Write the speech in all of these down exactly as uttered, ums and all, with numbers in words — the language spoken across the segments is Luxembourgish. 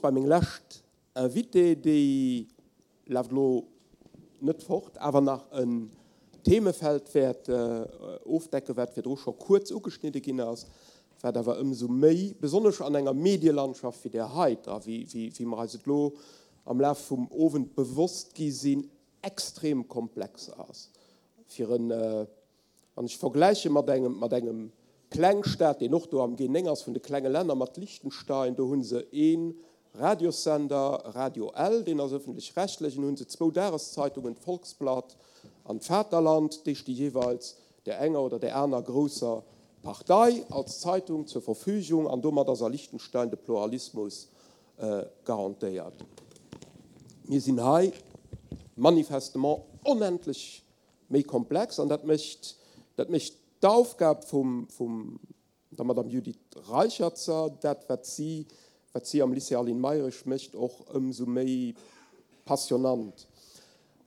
Bei meng lescht Invitée, déi leeft elo net fort, awer nach en Themefeld wäert ofdecken, wat virdru scho kuerz ugeschnidde ginn ass, wat awer ëmsou méi, besonnesch an enger Medielandschaft wéi där heiter, wéi, wéi mer eis et elo am Laf vum Owend bewosst gi sinn, extrem komplex ass. Fir en, wann ech vergläiche mat engem, mat engem Klengstaat, deen och do am G néng ass vun de klenge Länner, mat Liechtenstein, do hu se ee Radiossender, Radio L, deen ass öffentlech-rechtlech, an hu se zwou Dageszeitungen, d'Volksblatt an d'Vaterland, déi sti jeeweils där enger oder där aner grousser Partei als Zeitung zur Verfügung, an domat ass a Liechtenstein de Pluralismus garantéiert. Mir sinn hei manifestement onendlech méi komplex, an dat mécht, dat mécht d'Aufgab vum, vum der Madame Judith Reicherzer, dat wat si, wat si am Lycée Aline Mayrisch mécht, och ëmsou méi passionnant.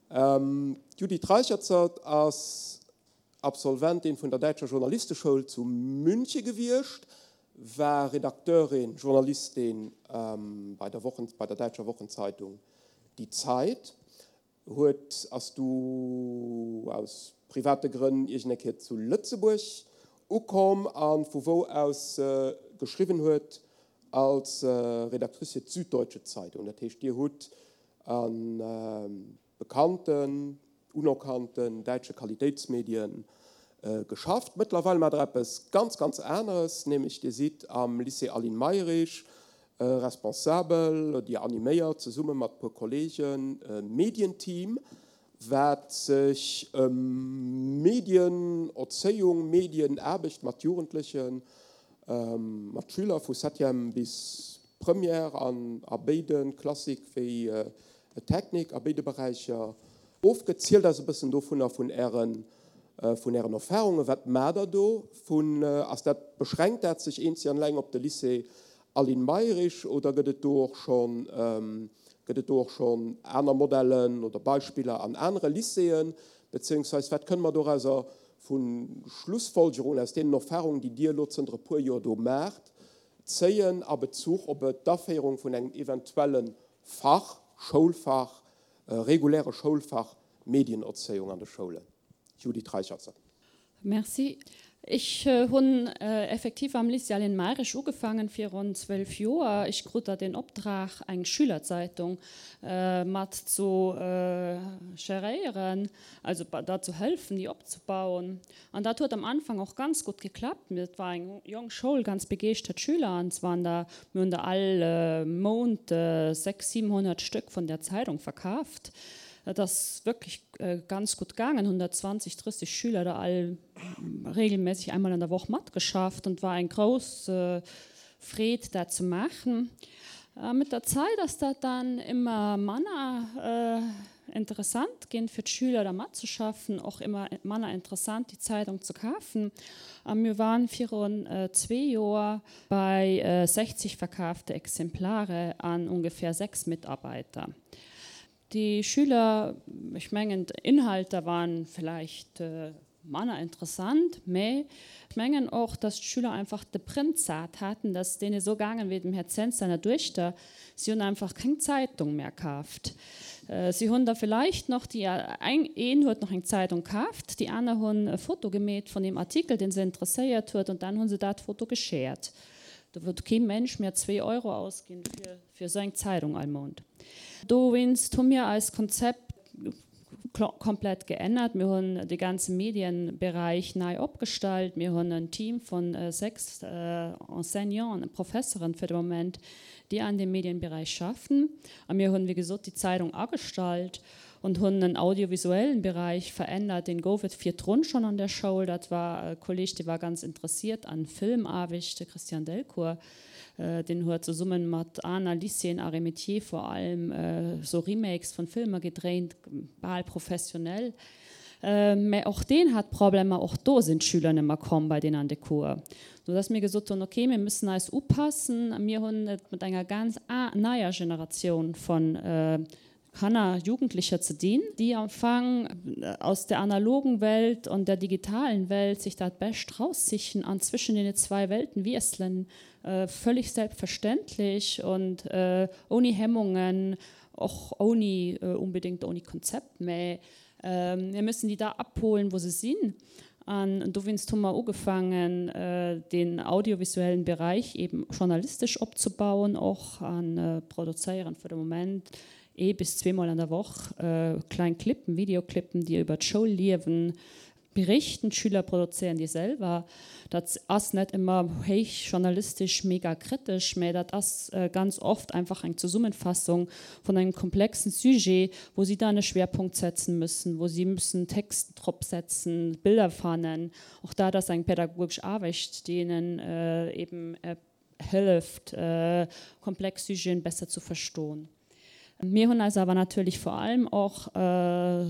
D'Judith Reicherzer ass Absolventin vun der Däitscher Journalisteschoul zu Münche gewiescht, war Redakteurin, Journalistin bei der Wochen, bei der däitscher Wochenzeitung Die Zeit, huet, ass du aus private Grënn iergend eng Kéier zu Lëtzebuerg ukomm a vu wou aus se geschriwwen huet als Redactrice fir d'Süddeutsche Zeitung. Dat heescht, Dir hutt a bekannten, unerkannten däitsche Qualitéitsmedien geschafft. Mëttlerweil maacht Der eppes ganz, ganz aneres, nämlech Dir sidd am Lycée Aline Mayrisch responsabel, Dir animéiert zesumme mat e puer Kolleegen e Medienteam, wat sech ëm Medienerzéiung, Medienaarbecht mat Jugendlechen, mat Schüler vu Septième bis Première an a béide Klassik wéi Technik, a béide Beräicher ofgëtt. Zielt eis e bëssen dovunner, vun Ären, vun Ären Erfahrungen. Wat maacht Der do? Vun, ass dat, beschränkt dat sech eenzeg an eleng op de Lycée Aline Mayrisch oder gëtt et do och schonn, gëtt et do och schonn aner Modellen oder Beispiller an anere Lycéeën? Beziehungsweise wat kënne mer dorauser vu Schlussfolgerungen aus deenen Erfahrungen, déi Dir elo zënter e puer Joer do maacht, zéien a Bezuch op d'Aféierung vun engem eventuelle Fach, Schoulfach, reguläre Schoulfach Medienerzéiung an de Schoulen? Judith Reicherzer. Merci. Ech hunn effektiv am Lycée Aline Mayrisch ugefaangen virun zwölf Joer. Ech krut da den Optrag, eng Schülerzeitung mat zu geréieren, also da zu hëllefen, déi opzebauen. An dat huet am Anfang och ganz gutt geklappt. Et war eng jonk Schoul, ganz begeeschtert Schüler, an es waren da, mir hunn da all Mount sechs, siebenhonnert Stück vun der Zeitung verkaaft. Dat ass wierklech ganz gutt gaangen, hundertzwanzeg, drësseg Schüler da all regelmäßig einmal an der Woch matgeschafft und war eng grouss Freed, dat ze maachen. Mit der Zäit ass dat dann ëmmer manner interessant ginn fir d'Schüler da matzeschaffen, och ëmmer manner interessant déi Zeitung ze kafen. A mir waren virun zwee Joer bei sechzig verkaafte Exemplare an ungefähr sechs Mitarbeiter. Déi Schüler, ech mengen d'Inhalter waren vielleicht manner interessant, mä ech mengen och, dass d'Schüler einfach de Print sat haten, dass deene esou gaangen wéi dem Här Zens seiner Duechter, si hunn einfach keng Zeitung mehr kaaft. Si hunn der vielleicht nach déi eng, een huet nach eng Zeitung kaaft, déi aner hunn e Foto gemeet vun deem Artikel, dee se interesséiert huet, und dann hu se dat Foto geshared. Do huet kee Mensch mehr zwee Euro ausginn fir, fir esou eng Zeitung all Mount. Dowéinst hu mir eist Konzept komplett geännert. Mir hunn de ganze Medienbereich nei opgestallt. Mir hunn en Team vun sechs Enseignanten, Professeren fir de Moment, déi an dem Medienbereich schaffen. A mir hunn, wéi gesot, déi Zeitung agestallt und hunn en audiovisuellen Bereich verännert. Den gouf et virdrun schonn an der Schoul. Dat war e Kolleg, dee war ganz interessiert an Filmaarbecht, de Christian Delcourt. Deen huet zesumme mat aner Lycéeën, Arts et Métiers vor allem, sou Remakes vun Filmer gedréint, bal professionell. Mä och deen hat Problemer, och do sinn d'Schüler net méi komm bei deen an de Cours. Sou dass mir gesot hunn, okay, mir müssen eis upassen. Mir hunn et mat enger ganz neier Generatioun von Kanner, Jugendlicher ze dinn, déi am Fong aus der analogen Welt und der digitalen Welt sich dat Bescht raussichen an zwischen den zwei Welten wiesselen, äh, völlig selbstverständlich und äh, ohne Hemmungen, och ohne äh, unbedingt ohne Konzept mä äh, mir müssen die da abholen, wo se sinn. An dowéinst hu mer ugefaangen äh, den audiovisuellen Bereich eben journalistesch opzebauen och an äh, produzéieren fir de Moment ee bis zweemol an der Woch äh, kleng Clippen, Videoclippen, déi iwwer d'Schoulliewen berichten. D'Schüler produzéieren déi selwer. Dat ass net ëmmer héich journalistesch mega kritesch, mä dat ass äh, ganz oft einfach eng Zesummefassung vun engem komplexen Sujet, wou sie dann e Schwerpunkt setzen müssen, wou sie müssen Text drop setzen, Bilder fannen. Och dat ass eng pädagogesch Aarbecht, déi hinnen äh, eben äh, hëlleft, äh, komplex Sujeten besser zu verstoen. Mir hunn eis awer natierlech vor allem och äh,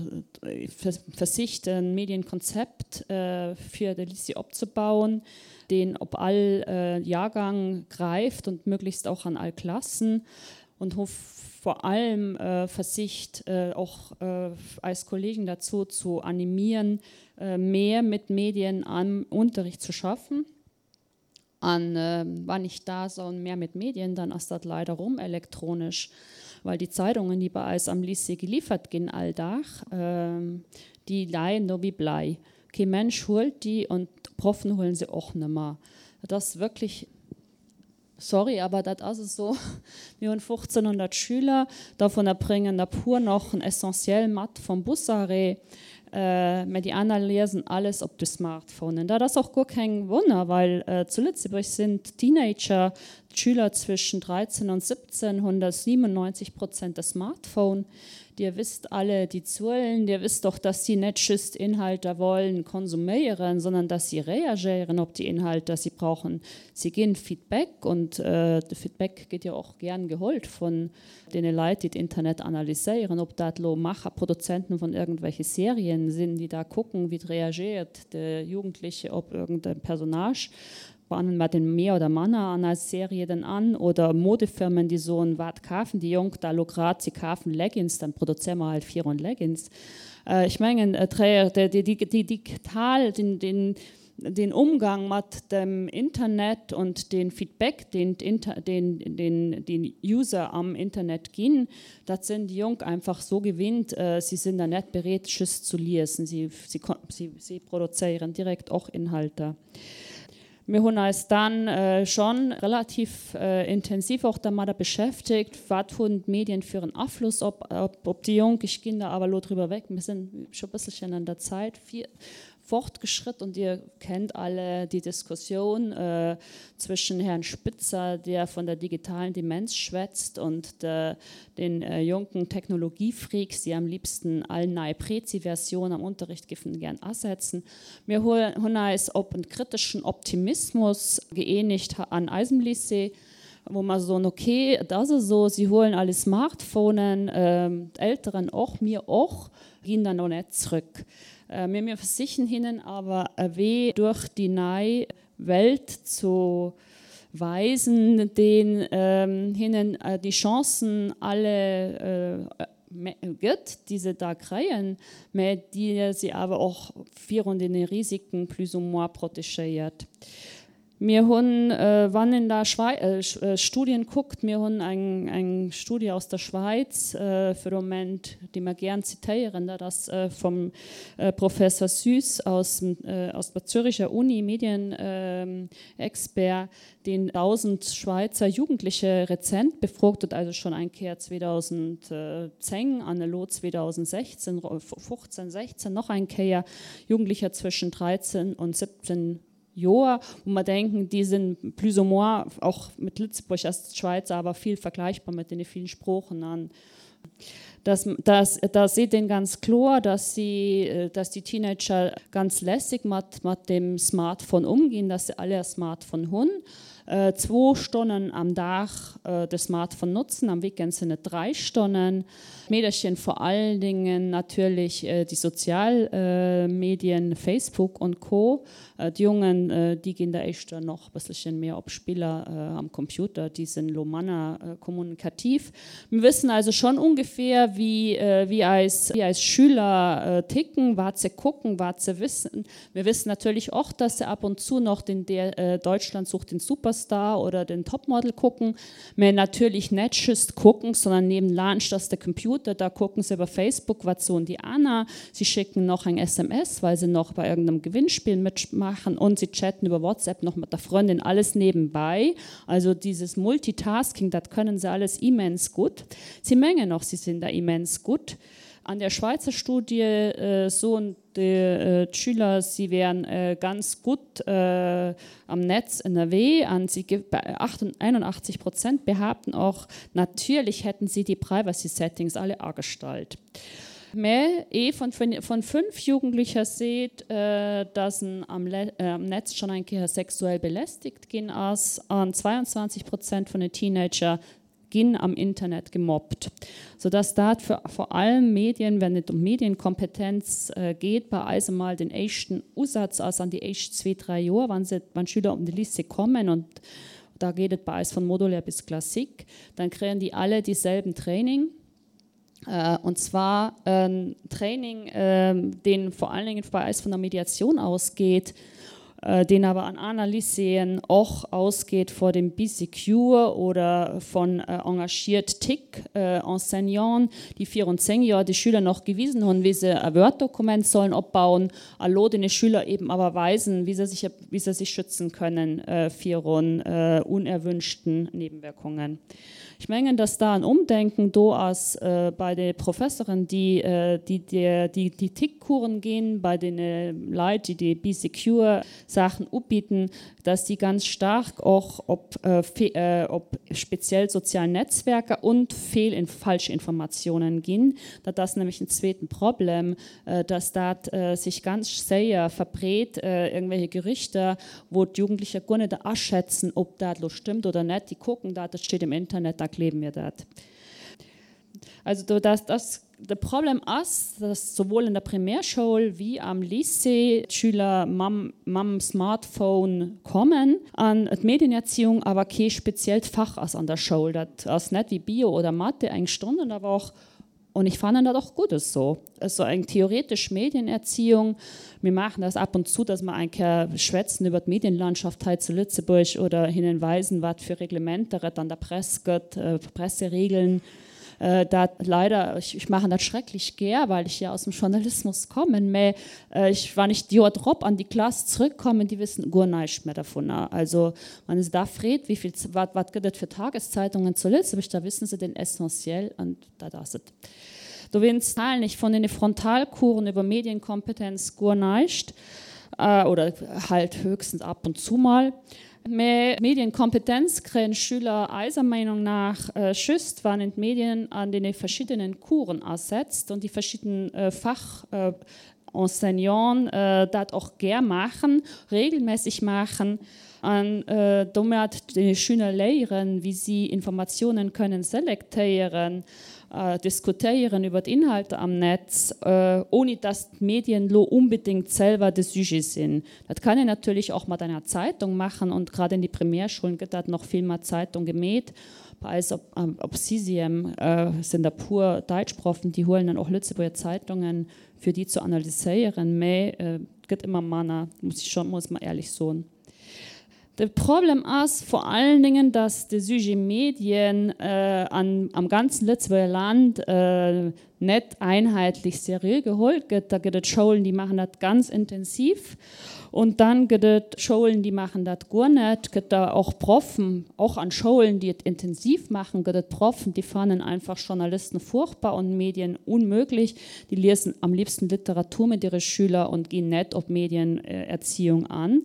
versicht e Medienkonzept äh, fir de Lycée opzebauen, deen op all äh, Jahrgang gräift und möglichst auch an all Klassen und hu vor allem äh, versicht äh, och äh, eis Kollegen dazu zu animieren, äh, mehr mit Medien am Unterricht zu schaffen. An äh, wann ech da soen mehr mit Medien, dann ass dat leider rum elektronesch, well déi Zeitungen, déi bei eis am Lycée geliefert ginn all Dag, äh, déi leien do wéi Blei. Kee Mensch huelt déi und d'Proffen huelen se och nimmer. Dat ass wierklech sorry, awer dat ass esou. Mir hunn fofzénhonnert Schüler, dovun bréngen der puer nach en Essentiel mat vum Busarrêt. Äh, mä déi aner liesen alles op de Smartphonen. Dat ass och guer keng Wonner, well äh, zu Lëtzebuerg sinn Teenager, d'Schüler zwëschen dräizéng an siwwenzéng honnertsiwenenneinzeg Prozent de Smartphone. Dir wësst alle déi Zuelen, dir wësst och, dass sie net just Inhalter wollen konsuméieren, sondern dass sie reagéieren op déi Inhalter sie brauchen. Sie ginn Feedback und äh, de Feedback gëtt jo och gär geholl vun deene Leit, déi d'Internet analyséieren, ob dat lo Macher, Produzenten vun irgendwelche Serien sinn, déi da kucken, wéi reagéiert de Jugendleche op irgendein Personnage bannen mer den méi oder manner an als Serie dann an oder Modefirmen, déi soen, wat kafen déi Jonk da lo grad, sie kafen Leggings, dann produzéiere mer halt vier Leggings. Äh, ech mengen äh, déi, déi, déi digital den, den, den Umgang mat dem Internet und den Feedback, den, den, den, den User am Internet ginn, dat sinn déi Jonk einfach sou gewinnt, äh, sie sinn da net bereet just zu liesen, sie, sie, sie, sie produzéieren direkt och Inhalter. Mir hunn eis dann äh, schonn relativ äh, intensiv och domadder beschäftegt, wat hunn d'Medien fir en Afloss op, op, op déi Jonk. Ech ginn da awer lo driwwer weg. Mir sinn schonn e bësselchen an der Zäit vill fortgeschritten und ihr kennt alle die Diskussion äh, zwischen Herrn Spitzer, der von der digitalen Demenz schwätzt und de, den äh, jonken Technologiefreaks, déi am liebsten all nei Prezi-Versioun am Unterricht giffen gär asetzen. Mir hunn eis op en kriteschen Optimismus gëeenegt an eisem Lycée, wou mer soen, okay, dat ass esou, sie huelen alle Smartphonen, ähm, d'Elteren och, mir och, ginn dann och net zréck. Äh, mir, mir versichen hinnen awer e Wee duerch déi nei Welt ze weisen, deen ähm, hinnen äh, déi Chancen alle äh, gëtt, déi se da kréien, mä déi sie awer och virun den Risiken plus ou moins protegéiert. Mir hunn äh, wann een da Schwei äh, äh, Studien kuckt, mir hunn eng, eng Studie aus der Schweiz äh, fir de Moment, déi mer gär zitéieren, dat ass äh, vum äh, Professor Süss aus, äh, aus der Züricher Uni, Medienexpert, äh, deen dausend Schweizer Jugendlecher rezent befrot huet, also schonn eng Kéier zweedausendzéng, an elo zweedausendsechzéng, fofzéng, sechzéng nach eng Kéier Jugendlecher zwëschen dräizéng und siwwenzéng Joer, wou mer denken, déi sinn plus ou moins och mat Lëtzebuerg ass d'Schwäiz awer vill vergläichbar mat den villen Sproochen an das, das, da seet en ganz kloer, dass sie, äh, dass die Teenager ganz lässig mat, mat dem Smartphone umgehen, dass sie alle e Smartphone hunn. äh, zwou Stonnen am Dag äh, de Smartphone notzen, am Weekend sinn et dräi Stonnen. Meedercher vor allen Dingen natürlich äh, déi sozial äh, Medien, Facebook und Co. Äh, d'Jongen äh, déi ginn da éischter nach bësselche méi op Spiller äh, am Computer, déi sinn lo manner äh, kommunikativ. Mir wëssen also schon ungefähr, wéi, äh, wéi eis, wéi eis Schüler äh, ticken, wat se kucken, wat se wëssen. Mir wëssen natierlech och, dass se ab und zu nach den der, äh, Deutschland sucht den Superstar oder den Topmodel kucken, mä natierlech net just kucken, sondern niewenlaanscht ass de Computer, da kucken se iwwer Facebook, wat soen déi aner. Sie schicken nach eng S M S, well se nach bei irgendeinem Gewinnspiel mitmachen und sie chatten über WhatsApp noch mat der Frëndin, alles nebenbei. Also dieses Multitasking, dat können se alles immens gutt. Sie mengen och, sie sinn da immens gutt. An der Schweizer Studie äh, soen déi äh, Schüler, sie wären äh, ganz gutt äh, am Netz ënnerwee an sie einundachtzeg Prozent behaupten och, natürlich hätten sie die Privacy Settings alle agestallt. Mä ee vun, vun fënnef Jugendlecher seet, äh, dass en am, Le äh, am Netz schonn eng Kéier sexuell belästegt ginn ass an zweiundzwanzeg Prozent vun den Teenager ginn am Internet gemobbt. Sodass dat fir vor allem Medien, wenn et ëm Medienkompetenz äh, geet, bei eis emol den éischten Usaz ass an déi éischt zwee, dräi Joer, wann se wann Schüler op de Lycée kommen und da geet et bei eis von modulär bis Classique, dann kréien déi alle dieselben Training. Äh, und zwar en Training, äh, deen vor allen Dingen bei eis vun der Mediatioun ausgeet, äh, deen awer an aner Lycéeën och ausgeet vun dem Bee Secure oder vun äh, engagiert TIC äh, Enseignanten, déi virun zéng Joer de Schüler nach gewisen hunn, wéi se e Word-Dokument sollen opbauen, a lo de Schüler eben awer weisen, wéi se sech, wéi se sech schützen kënnen äh, virun äh, unerwünschten Nebenwirkungen. Ech mengen, dass da en Ëmdenken do ass äh, bei de Professeren, déi äh, déi déi déi, déi TIC-Coursen ginn, bei de äh, Leit, déi déi Bee Secure Saachen ubidden, dass déi ganz staark och op, äh, äh, op speziell sozial Netzwerker und Fehl in Falschinformatiounen ginn. Dat ass nämlech en zweeten Problem, äh, dass dat äh, sech ganz séier verbreet, äh, irgendwelche Gerüchter, wou d'Jugendlecher guer net aschätzen, ob dat lo stëmmt oder net. Déi kucken dat, dat steet im Internet, da gleewe mir dat. Also dass das de Problem ass, dass souwuel an der Primärschoul wéi am Lycée d'Schüler mam, mam Smartphone kommen an d'Medienerziehung awer kee speziellt Fach ass an der Schoul. Dat ass net wéi Bio oder Mathe eng Stonn an der Woch. Und ich fand dat och gutt esou. Also eng theoretesch Medienerziehung. Mir maachen dat ab und zu, dass mer eng Kéier schwätzen iwwer d'Medienlandschaft hei zu Lëtzebuerg oder hinnen weisen, wat fir Reglementer et an der Press gëtt, äh, Presseregeln. Äh, dat leider ech, ech maachen dat schrecklech gär, well ech jo aus dem Journalismus kommen, mä äh, ech wann ech d'Joer drop an déi Klass zréckkommen, déi wëssen guer näischt méi dovun. Also wann ee se da freet, wéi vill wat, wat gëtt et fir Tageszeitungen zu Lëtzebuerg, da wësse se den Essentiel an dat ass et. Dowéinst halen ech vun den Frontalcoursen iwwer Medienkompetenz guer näischt äh, oder halt höchstens ab und zu mal. Mä Medienkompetenz kréien Schüler eiser Meenung nach äh, just, wann een d'Medien an de verschiddenen Coursen asetzt an déi verschidden äh, Fach äh, Enseignanten äh, dat och gär maachen, regelméisseg maachen an äh, domat de Schüler léieren, wéi si Informatiounen kënnen selektéieren, äh, diskutéieren iwwer Inhalter am Netz, äh, ouni dass d'Medien lo onbedéngt selwer de Sujet sinn. Dat kann een natierlech och mat enger Zeitung maachen und grad an de Primärschoule gëtt dat nach vill mat Zeitung gemeet. Bei eis op, op Sixième äh, sinn der puer Däitschproffen, déi huelen dann och Lëtzebuerger Zeitungen fir déi ze analyséieren, mä äh, gëtt ëmmer manner, muss ech schonn muss man éierlech soen. De Problem ass vor allen Dingen, dass de Sujet Medien äh, an, am ganzen Lëtzebuerger Land äh, net einheetlech seriö geholl gëtt. Da gëtt et Schoulen, déi maachen dat ganz intensiv. Und dann gëtt et Schoulen, déi maachen dat guer net. Gëtt da och Proffen, och an Schoulen, déi et intensiv maachen, gëtt et Proffen, déi fannen einfach Journalisten furchtbar und Medien unmöglich. Déi liesen am liebsten Literatur mat hire Schüler und ginn net op Medienerziehung an.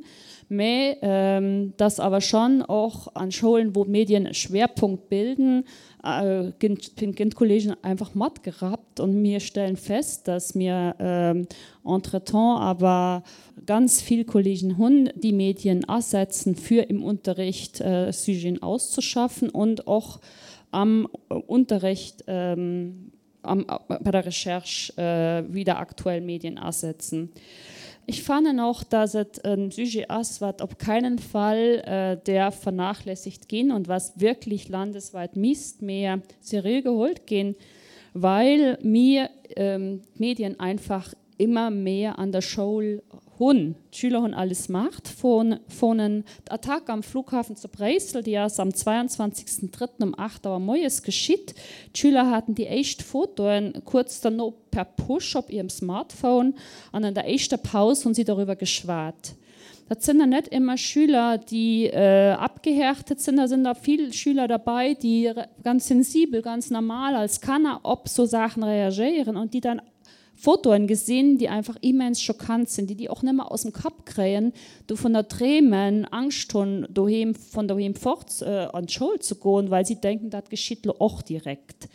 Mä ähm, dass awer schonn och an Schoulen, wou Medien e Schwerpunkt bilden, äh, ginn ginn d'Kollegen einfach matgerappt und mir stellen fest, dass mir ähm, entretemps awer ganz vill Kollegen hunn, déi Medien asetzen fir im Unterricht äh, Sujeten auszuschaffen und och am Unterricht ähm, am, bei der Recherche äh, wieder aktuell Medien asetzen. Ech fannen och, dass et e Sujet ass, wat op keinen Fall äh, däerf vernachlässigt ginn und was wirklich landesweit misst méi seriö geholt ginn, well mir ähm, Medien einfach immer mehr an der Schoul hunn. D'Schüler hunn alle Smartphonen. D'Attack am Flughafen zu Bréissel, déi ass am zweiundzwanzegsten drëtten um aacht Auer moies geschitt. D'Schüler haten déi éischt Fotoen kuerz derno per Push op hirem Smartphone an an der éischter Paus hunn si doriwwer geschwat. Dat sinn dann net ëmmer Schüler, déi äh, abgehärtet sinn, da sinn da vill Schüler derbäi, déi ganz sensibel, ganz normal als Kanner op sou Saachen reagéieren und déi dann Fotoen gesinn, déi einfach immens schockant sinn, déi déi och net méi aus dem Kapp kréien, dovunner dreemen, Angscht hunn, doheem, vun doheem fort äh, an d'Schoul ze goen, well si denken, dat geschitt lo och direkt.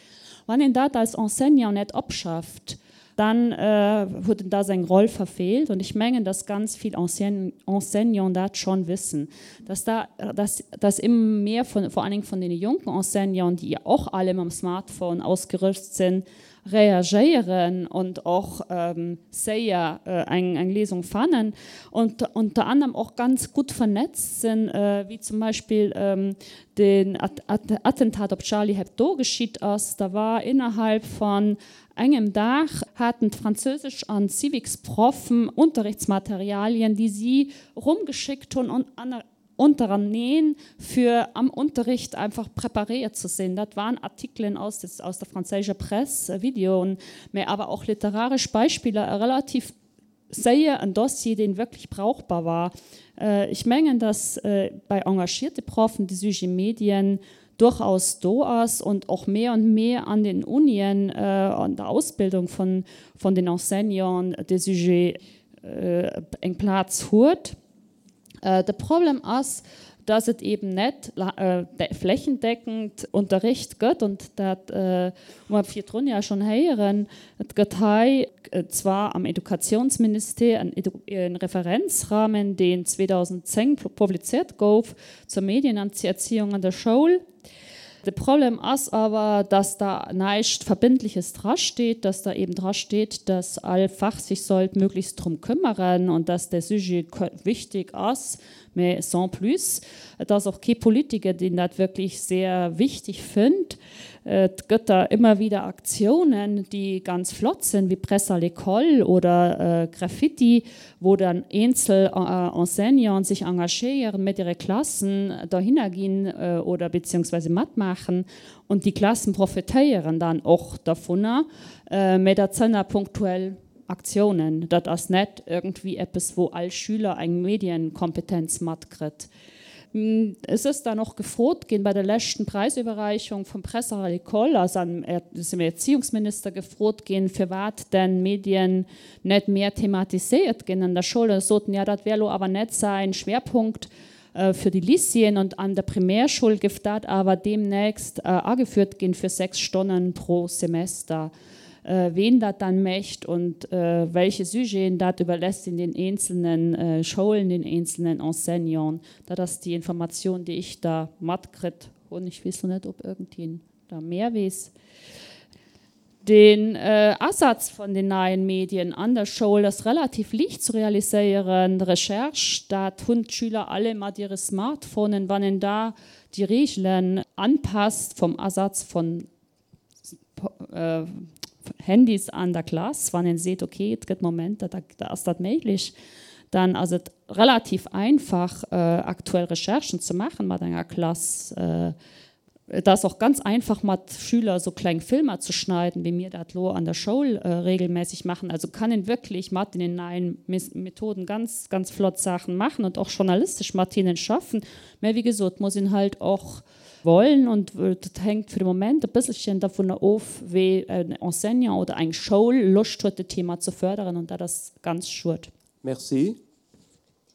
Wann een dat als Enseignant net opschafft, dann äh, huet en da seng Roll verfeelt und ech mengen, dass ganz vill Enseignant dat schonn wëssen, dass da dass, dass ëmmer méi vun, vor allen Dingen vun den jonken Enseignanten, déi och alle mam Smartphone ausgerüst sinn, reagéieren und och ähm, séier äh, eng, eng Léisung fannen und unter anderem och ganz gutt vernetzt sinn, äh, wéi zum Beispill ähm, den At At Attentat op Charlie Hebdo geschitt ass, da war innerhalb von engem Dag haten d'Franséisch an Civics-Proffen Unterrichtsmaterialien, déi si rumgeschéckt hunn und an untereneen fir am Unterricht einfach preparéiert ze sinn. Dat waren Artikelen aus, des, aus der franséischer Press, äh, Videoen, mä awer och literaresch Beispiller relativ séier en Dossier, deen wierklech brauchbar war. Äh, ech mengen, dass äh, bei engagierte Proffen de Sujet Medien durchaus do ass und och méi an méi an den Unien äh, an der Ausbildung vun, vun den Enseignanten de Sujet äh, eng Plaz huet. Äh, de Problem ass, dass et eben net äh, flächendeckend Unterricht gëtt und dat äh, hu mer virdrun ja schonn héieren, et gëtt hei äh, zwar am Educationsministère en, Edu en Referenzrahmen, deen zweedausendzéng publizéiert gouf zur Medienerziehung an der Schoul. De Problem ass awer, dass da näischt Verbindliches drasteet, dass da eben drasteet, dass all Fach sich sollt möglichst drum kümmern und dass der Sujet wichtig ass, mä sans plus, dass och kee Politiker, deen dat wierklech sehr wichteg fënnt. Et gëtt da ëmmer wieder Aktiounen, déi ganz flott sinn, wéi Presse à l'école oder äh, Graffiti, wou dann eenzel äh, Enseignanten sech engagéieren, mat hire Klassen dohinner ginn äh, oder beziehungsweise matmaachen und déi Klassen profitéieren dann och dovunner, äh, mä dat sinn punktuell Aktiounen. Dat ass net iergendwéi eppes, wou all Schüler eng Medienkompetenz matkritt. Hm, es ass dann och gefrot ginn bei der leschten Präisiwwerreechung vum Presse à l'école, also am Erziehungsminister gefrot ginn, firwat denn Medien net méi thematiséiert ginn an der Schoul. Soten ja, dat wär lo awer net säi Schwerpunkt äh, fir déi Lycéeën und an der Primärschoul géif dat awer demnächst äh, ageführt ginn fir sechs Stonnen pro Semester. Äh, wien dat dann mécht und äh, welche Sujeten dat iwwerléisst een den eenzelnen äh, Schoulen, den eenzelnen Enseignanten. Dat ass déi Informatioun, déi ech da matkritt hunn. Ech weess net, ob iergendeen da méi weess. Den äh, Asaz vun den neien Medien an der Schoul ass relativ liicht ze realiséieren. Recherche, dat hunn d'Schüler alle mat hire Smartphonen, wann een da déi Reegelen unpasst vum Asaz vun äh, Handys an der Klass, wann een seet, okay, et gëtt Momenter, da, da ass dat méiglech, dann ass et relativ einfach äh, aktuell Recherchen ze maachen mat enger Klass. Äh, et ass och ganz einfach mat Schüler sou kleng Filmer ze schneiden, wéi mir dat lo an der Schoul äh, regelmäßig maachen. Also kann een wierklech mat den neien Methoden ganz ganz flott Saachen maachen und och journalistesch mat hinnen schaffen. Mä wéi gesot, muss een halt och wollen und dat hänkt fir de Moment e bësselchen dovun of, wéi en Enseignant oder eng Schoul Loscht huet, dat Thema ze fërderen und dat ass ganz schued. Merci.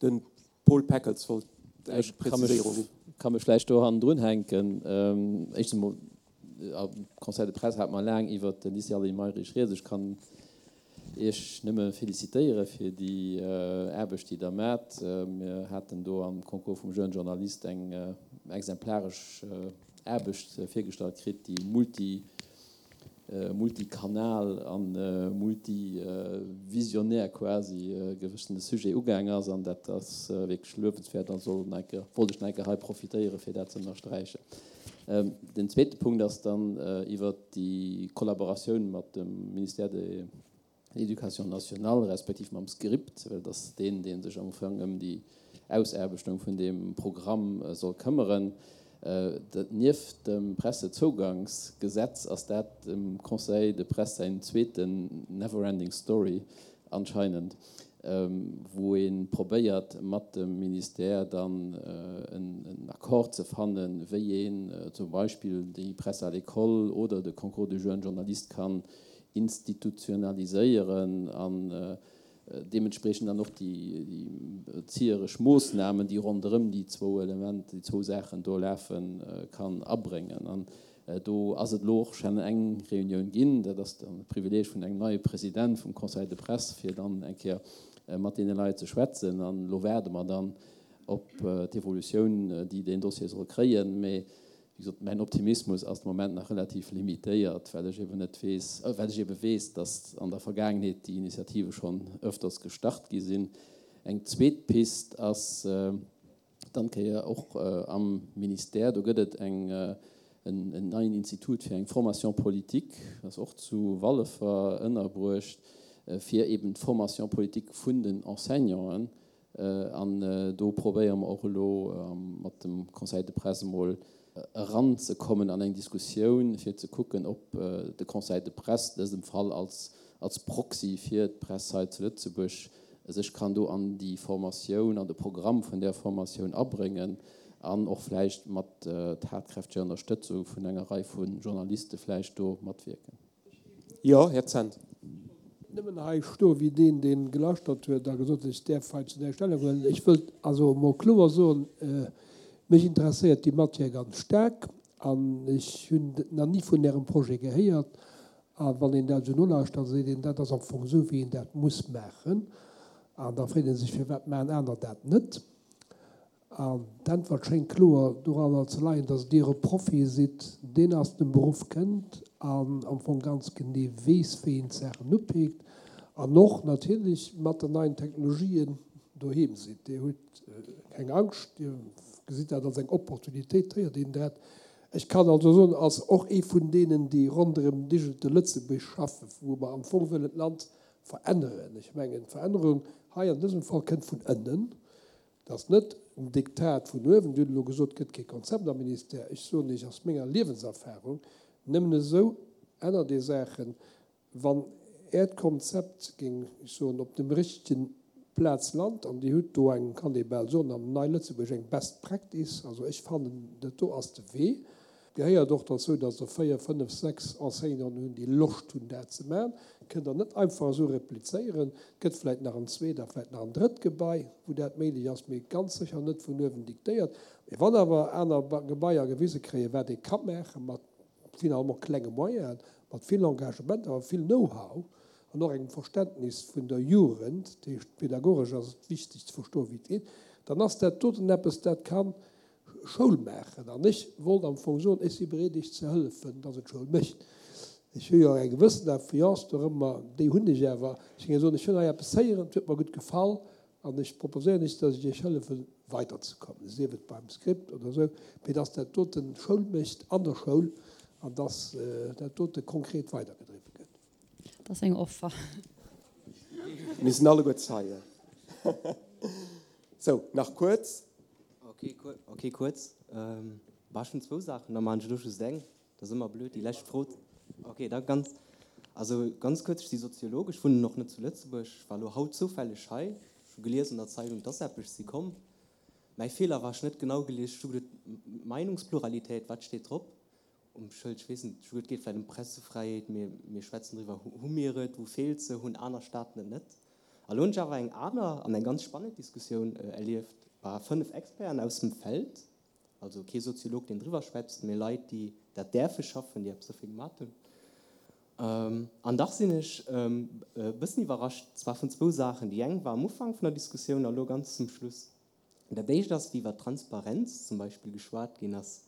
Den Paul Peckels wollt eng Präziséierung ginn. Ech ka mech vläicht do hannendrun hänken. Éischtens emol, am Conseil de presse hate mer laang iwwert de Lycée Aline Mayrisch rieds. Ech kann Iech nëmme felicitéiere fir déi Aarbecht, déi Der maacht. Mir haten do am Concours vum Jeune Journaliste eng exemplaresch Aarbecht virgestallt kritt, déi multi, multikanal a multivisionär quasi e gewëssene Sujet ugaang ass. An dat ass wierklech luewenswäert a soll nach eng Kéier, wollt ech nach eng Kéier hei profitéiere fir dat ze ënnersträichen. Den zweete Punkt ass dann iwwert déi Kollaboratioun mat dem Ministère de l'Éducation nationale respektiv mam Script, well et ass deen, dee sech am Ufank ëm déi Ausaarbechtung vun deem Programm soll këmmeren. Nieft dem Pressezougangsgesetz ass dat dem Conseil de Presse säin zweeten never-ending story anscheinend, wou ee probéiert mat dem Ministère dann en Accord ze fannen, wéi een zum Beispill déi Presse à l'école oder de Concours du jeune journaliste kann institutionaliséieren an deementspreechend dann och déi erzieheresch Moossnamen, déi ronderëm déi zwou Element, déi zwou Saachen do lafen, kann abréngen. An do ass et elo och schonn eng Reunioun ginn, dat ass dann de Privileeg vun engem neie President vum Conseil de Presse, fir dann eng Kéier mat deene Leit ze schwätzen. An elo waarde mer dann op d'Evolutioun, déi deen Dossier soll kréien. Mee wéi gesot, mäin Optimismus ass de Moment nach relativ limitéiert, well ech eben net weess, well ech ebe weess, datt an der Vergaangenheet déi Initiative schonn öfters gestart gi sinn. Eng zweet Pist ass dann d'Kéier och am Ministère, do gëtt et eng, en neien Institut fir eng Formation politique, ass och zu Wallefer ënnerbruecht, fir eben d'Formation politique vun den Enseignanten. An do probéiere mer och elo mat dem Conseil de Presse emol eranzekommen an eng Diskussioun, fir ze kucken, ob de Conseil de Presse, an dësem Fall als, als Proxy fir d'Press hei zu Lëtzebuerg, sech kann do an déi Formatioun, an de Programm vun där Formatioun abréngen an och vläicht mat tatkräfteger Ënnerstëtzung vun enger Rei vu Journaliste vläicht do matwierken. Jo, Här Zent. Nëmmen hei stoe wéi deen, dee gelauschtert huet a gesot huet, ech däerf hei zu näischt Stellung huelen. Ech wëllt also emol kloer soen, mech interesséiert déi Matière ganz staark an ech hunn nach ni vun Ärem Projet gehéiert. A wann een dat esou nolauschtert, da seet een, dat ass am Fong esou, wéi een dat muss maachen. An da freet ee sech, firwat maachen aner dat net? An d'Äntwert schéngt kloer doranner ze leien, dass Dir e Profi sidd, deen aus dem Beruff kënnt an am Fong ganz genee weess, wéi een d'Saachen upeekt an och natierlech mat den neien Technologien doheem sidd. Dir hutt keng Angscht, Dir gesitt dat als eng Opportunitéit, héiert een dat. Ech kann also soen, als och ee vun deenen, déi ronderëm Digital Lëtzebuerg schaffen, wou mer am Fong wëllen d'Land veränneren, ech mengen, d'Verännerung hei an dësem Fall kënnt vun ënnen, Et ass net en Diktat vun uewen. Dir hutt elo gesot, et gëtt kee Konzept am Ministère. Ech soen Iech aus menger Liewenserfahrung, nëmmen esou ännert ee Saachen, wann Äert Konzept, géing ech soen, op dem richtegen Plaz lant, an Dir hutt do eng, kann ee bal soen, am Nei Lëtzebuerg eng Best Practice. Also ech fannen, dat do ass de Wee. Gehéiert och derzou, dass der véier, fënnef, sechs Enseignanten hunn, déi Loscht hunn, dat ze maachen. Kënnt Der net einfach esou replizéieren. Et gëtt vläicht nach en zweet a vläicht nach en drëtt Gebai, wou dat méiglech ass, mee ganz sécher net vun uewen diktéiert. Mee wann awer aner Gebaier gewise kréien, wat ee ka maache mat finalement klenge Moyenen, mat vill Engagement, awer vill Know-how an och engem Verständnis vun der Jugend, dat heescht pedagogesch ass et wichteg ze verstoen, wéi et geet, dann ass dat doten eppes, dat ka Schoul maachen. An ech wollt am Fong soen, ech si bereet Iech ze hëllefen, dass et Schoul mécht. Ech hu jo eng gewëssen Influence dorëmmer, déi hunn ech awer. Ech géing soen, ech hunn hei eppes héieren, et huet mer gutt gefall an ech proposéieren Iech, dass ech Iech hëllefen, weiderzekommen, sief et beim Script oder esou, mee dass dat dote Schoul mécht an der Schoul an dass dat dote konkret weidergedriwwe gëtt. Dat ass eng Offer. Mir sinn alleguer Zeien. Sou, nach kuerz. Ok, kuerz. Bah, ech hunn zwou Saachen, da maachen ech elo just eng. Dat ass ëmmer blöd, déi lescht Fro. Ok, da ganz, also ganz kuerz, ech si Soziolog, ech wunnen och net zu Lëtzebuerg, ech war elo haut zoufälleg hei, ech hu gelies an der Zeitung, dass eppes si komm. Mäi Feeler war, ech hunn net genau gelies, ech hu geduet, Meinungspluralität, wat steet drop um Schëld? Ech weess net, ech hu geduet, et geet vläicht ëm Pressefräiheet, mee mir schwätzen driwwer, hu mir et, wou feelt se, hunn aner Staaten et net? A lo hunn ech awer eng aner an eng ganz spannend Diskussioun erlieft. bah, fënnef Experten aus dem Feld, also kee Soziolog, deen driwwer schwätzt, mee Leit, déi dat däerfe schaffen, déi eppes dofir gemat hunn. An dach sinn ech e bëssen iwwerrascht, zwar vun zwou Saachen. Déi eng war am Ufank vun der Diskussioun a lo ganz zum Schluss. Dat éischt ass, wéi iwwer Transparenz zum Beispill geschwat ginn ass.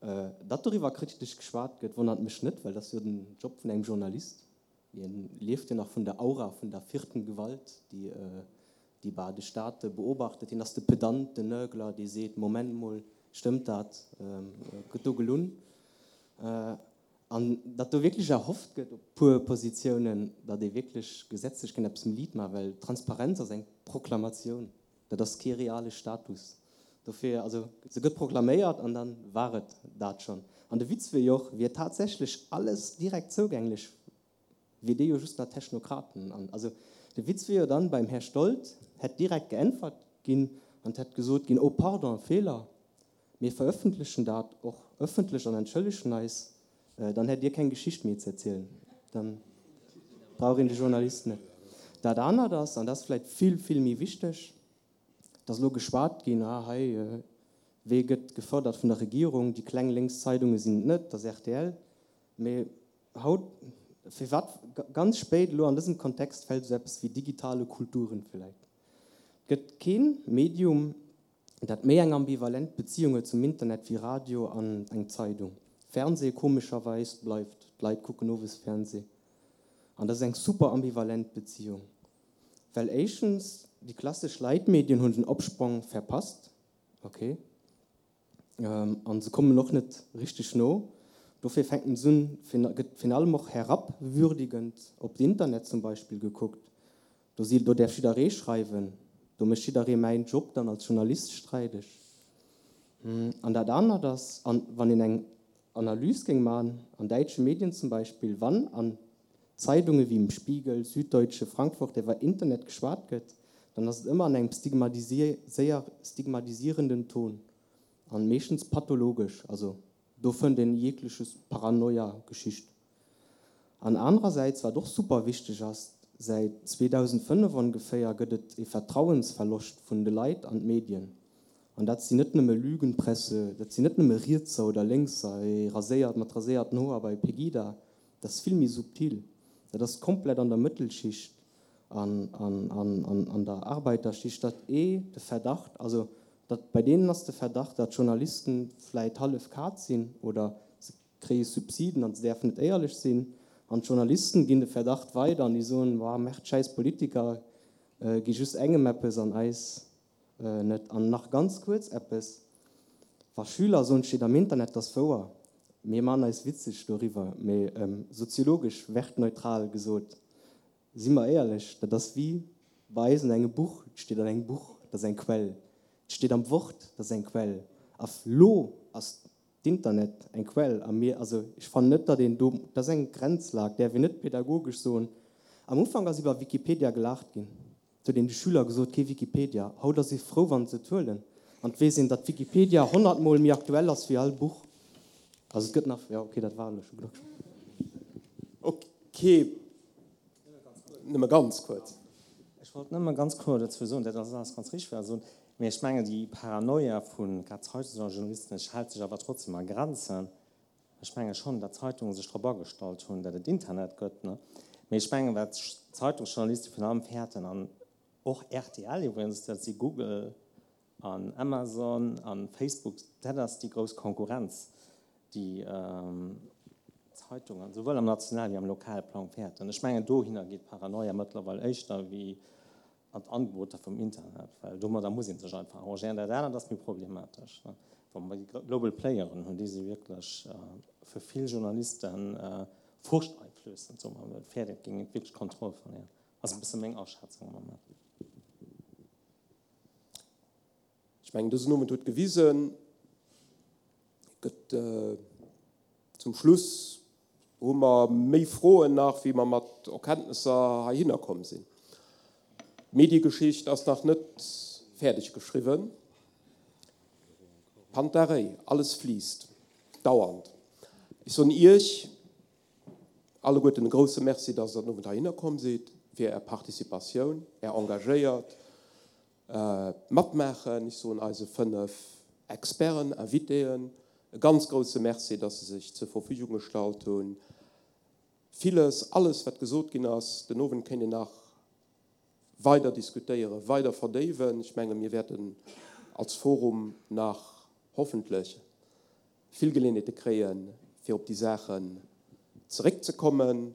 Datt doriwwer kritesch geschwat gëtt, wonnert mech net, well dat ass jo den Job vun engem Journalist. Hien lieft jo nach vun der Aura vun der vierten Gewalt, déi déi bah de Staat beobachtet. Hien ass de Pedant, den Nörgler, dee seet, Moment mol, stëmmt dat? Gëtt do gelunn? An datt do wierklech erhofft gëtt op puer Positiounen, datt ee wierklech gesetzlech kënnt eppes méi liit maachen, well Transparenz ass eng Proklamatioun. Dat ass kee reale Status. Dofir, also se gëtt proklaméiert an dann war et dat schonn. An de Witz wier jo och, wier tatsächlech alles direkt zougänglech, wier dee jo just nach Technokraten an. Also de Witz wier jo dann, beim Här Stolt hätt direkt geäntwert ginn an et hätt gesot ginn, oh pardon, Feeler, mir verëffentlechen dat och ëffentlech an entschëllegen eis, dann hätt Dir keng Geschicht méi ze erzielen. Dann brauch een de Journalist net. Dat anert ass, an dat ass vläicht vill, vill méi wichteg, Et ass elo geschwat ginn, ah hei, wee gëtt gefërdert vun der Regierung, déi kleng lénks Zeidunge sinn et net, et ass rtl. Mee haut, firwat ganz spéit elo an dësem Kontext fält esou eppes wéi digitale Kulturen vläicht? Et gëtt kee Medium, dat méi eng ambivalent Beziung huet zum Internet wéi Radio an eng Zeidung. Fernseh komescherweis bleift, d'Leit kucken owes Fernseh. An dat ass eng super ambivalent Beziung. Well éischtens, déi klassesch Leitmedien hunn den Opsprong verpasst, ok, a se kommen och net richteg no. Dofir fänken se un, gëtt virun allem och herabwürdigend op d'Internet zum Beispill gekuckt. Do si, do däerf jidderee schreiwen, do mécht jidderee mäin Job dann als Journalist streideg. An dat anert ass, an wann een eng Analys géing maachen, an däitsche Medien zum Beispill, wann an Zeidunge wéi im Spiegel, Süddeutsche, Frankfurt iwwer Internet geschwat gëtt, dann ass et ëmmer an engem stigmatisierenden Ton an meeschtens pathologesch, also do fënnt een jegleches Paranoia-Geschicht. An anerersäits, wat och super wichteg ass, säit zweedausendfënnef ongeféier gëtt et e Vertrauensverloscht vun de Leit an d'Medien. An dat sinn net nëmme Lügenpresse, dat sinn net nëmme Rietser oder Lénkser, ee raséiert mat raséierten Hoer bei Pegida, Dat ass vill méi subtil. Dat ass komplett an der Mëttelschicht an an der Arbeiterschicht, datt ee de Verdacht, also datt bei deenen ass de Verdacht, datt Journalisten vläit hallef Kaz sinn oder se kréie Subsiden an se däerfen net éierlech sinn. An d'Journalisten ginn de Verdacht weider an déi soen, Boah, merde, schäiss Politiker gi just engem eppes an eis net. An nach ganz kuerz eppes, Wa Schüler soen, et steet am Internet, dat ass wouer. Mir man eis witzeg doriwwer, mee soziologesch wertneutral gesot, si mer éierlech, dat ass wéi bei eis an engem Buch, et steet an engem Buch, dat ass eng Quell, et steet am Wort, dat ass eng Quell, a lo ass d'Internet eng Quell a mir, also ech fannen net, datt een do, dat ass eng Grenzlag, däerf een net pedagogesch soen. Am Ufank ass iwwer Wikipedia gelaacht ginn. Et huet een de Schüler gesot, kee Wikipedia. Haut ass ee frou, wann se et huelen. An et weess een, datt Wikipedia honnert Mol méi aktuell ass wéi all Buch. Also et gëtt nach, jo, ok, dat war elo scho genuch. Ok, nëmme ganz kuerz. Ech wollt nëmme ganz kuerz dozou soen, dat ass alles ganz richteg, wat Der sot, mee ech mengen, déi Paranoia vu grad Zeitungsjournalisten, ech hält sech awer trotzdem a Grenzen. Ech menge schonn, datt d'Zeitunge sech drop agestallt hunn, datt et Internet gëtt. Mee ech mengen, wat d'Zeitungsjournaliste virun allem fäerten, an och rtl iwwregens, dat si Google an Amazon a Facebook, dat ass déi grouss Konkurrenz, déi d'Zeitungen souwuel am nationale wéi am lokale Plang fäerten. Ech mengen, dohinner geet d'Paranoia mëttlerweil éischter wéi an d'Angeboter vum Internet, well domadder muss ee sech einfach arrangéieren. Dat anert ass méi problematesch, wa mer déi global Playeren hunn, déi si wierklech fir vill Journaliste furchteinflößend, soe mer emol, fäert et géing wierklech d'Kontroll verléieren. Ass e bësse meng Aschätzung am Moment. Ech mengen, dësen Owend huet gewisen, gëtt zum Schluss hu mer méi Froen nach, wéi mer mat Erkenntnesser heihinner komm sinn. D'Mediegeschicht ass nach net fäerdeg geschriwwen. Panta rhei, alles fliisst, dauernd. Ech soen Iech alleguerten e grouse Merci, dass Der den Owend heihinner komm sidd, fir Är Participatioun, Är engagéiert Matmaachen. Ech soen eise fënnef Experten, Invitéen e ganz grouse Merci, dass se sech zur Verfügung gestallt hunn. Villes, alles wat gesot ginn ass den Owend kéint een nach weider diskutéieren, weider verdéiwen. Ech menge mir wäerten als Forum nach hoffentlech vill Geleeënheete kréien, fir op déi Saachen zeréckzekommen.